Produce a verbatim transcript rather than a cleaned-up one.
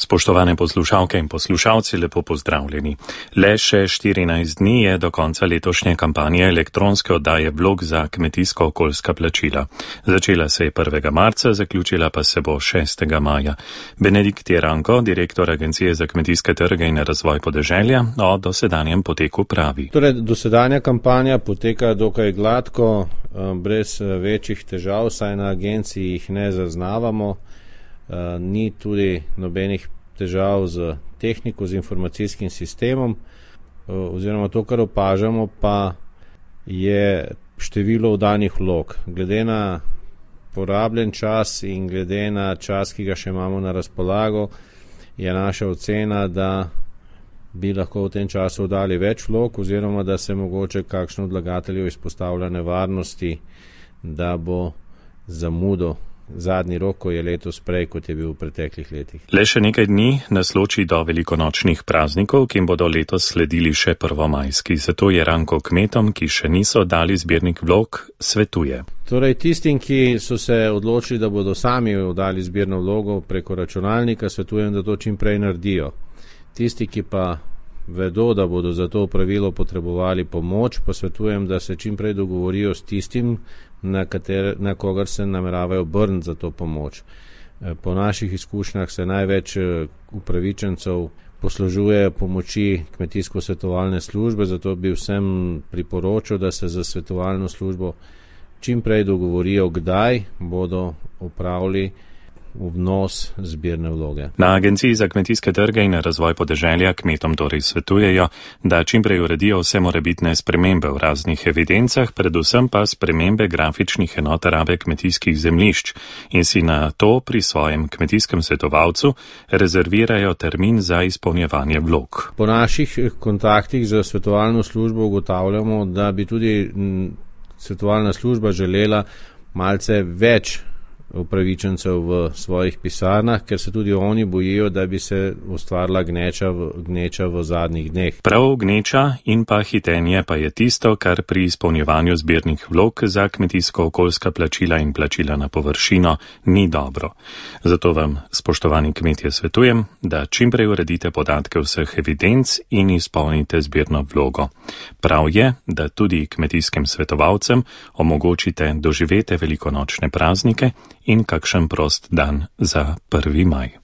Spoštovane poslušalke in poslušalci, lepo pozdravljeni. Le še štirinajst dni je do konca letošnje kampanje elektronske oddaje vlog za kmetijsko-okoljska plačila. Začela se je prvega marca, zaključila pa se bo šestega maja. Benedikt Jeranko, direktor Agencije za kmetijske trge in razvoj podeželja, o dosedanjem poteku pravi. Torej, dosedanja kampanja poteka dokaj gladko, brez večjih težav, saj na agenciji jih ne zaznavamo. Uh, ni tudi nobenih težav z tehniko, z informacijskim sistemom, uh, oziroma to, kar opažamo, pa je število oddanih vlog. Glede na porabljen čas in glede na čas, ki ga še imamo na razpolago, je naša ocena, da bi lahko v tem času oddali več vlog, oziroma da se mogoče kakšno od vlagateljev izpostavlja nevarnosti, da bo zamudo zadnji rok, ko je letos prej, kot je bil v preteklih letih. Le še nekaj dni nas loči do velikonočnih praznikov, ki jim bodo letos sledili še prvomajski. Zato Jeranko kmetom, ki še niso dali zbirnik vlog, svetuje. Torej, tistim, ki so se odločili, da bodo sami oddali zbirno vlogo preko računalnika, svetujem, da to čim prej naredijo. Tisti, ki pa vedo, da bodo za to pravilo potrebovali pomoč, pa svetujem, da se čim prej dogovorijo s tistim, na, kater, na kogar se nameravajo obrniti za to pomoč. Po naših izkušnjah se največ upravičencev poslužuje pomoči kmetijsko-svetovalne službe, zato bi vsem priporočil, da se za svetovalno službo čim prej dogovorijo, kdaj bodo opravili vnos zbirne vloge. Na Agenciji za kmetijske trge in razvoj podeželja kmetom torej svetujejo, da čimprej uredijo vse morebitne spremembe v raznih evidencah, predvsem pa spremembe grafičnih enot rabe kmetijskih zemljišč in si na to pri svojem kmetijskem svetovalcu rezervirajo termin za izpolnjevanje vlog. Po naših kontaktih z svetovalno službo ugotavljamo, da bi tudi svetovalna služba želela malce več upravičencev v svojih pisarnah, ker se tudi oni bojijo, da bi se ustvarila gneča v, gneča v zadnjih dneh. Prav gneča in pa hitenje pa je tisto, kar pri izpolnjevanju zbirnih vlog za kmetijsko-okoljska plačila in plačila na površino ni dobro. Zato vam, spoštovani kmetje, svetujem, da čimprej uredite podatke vseh evidenc in izpolnite zbirno vlogo. Prav je, da tudi kmetijskim svetovalcem omogočite doživete velikonočne praznike in kakšen prost dan za prvi maj.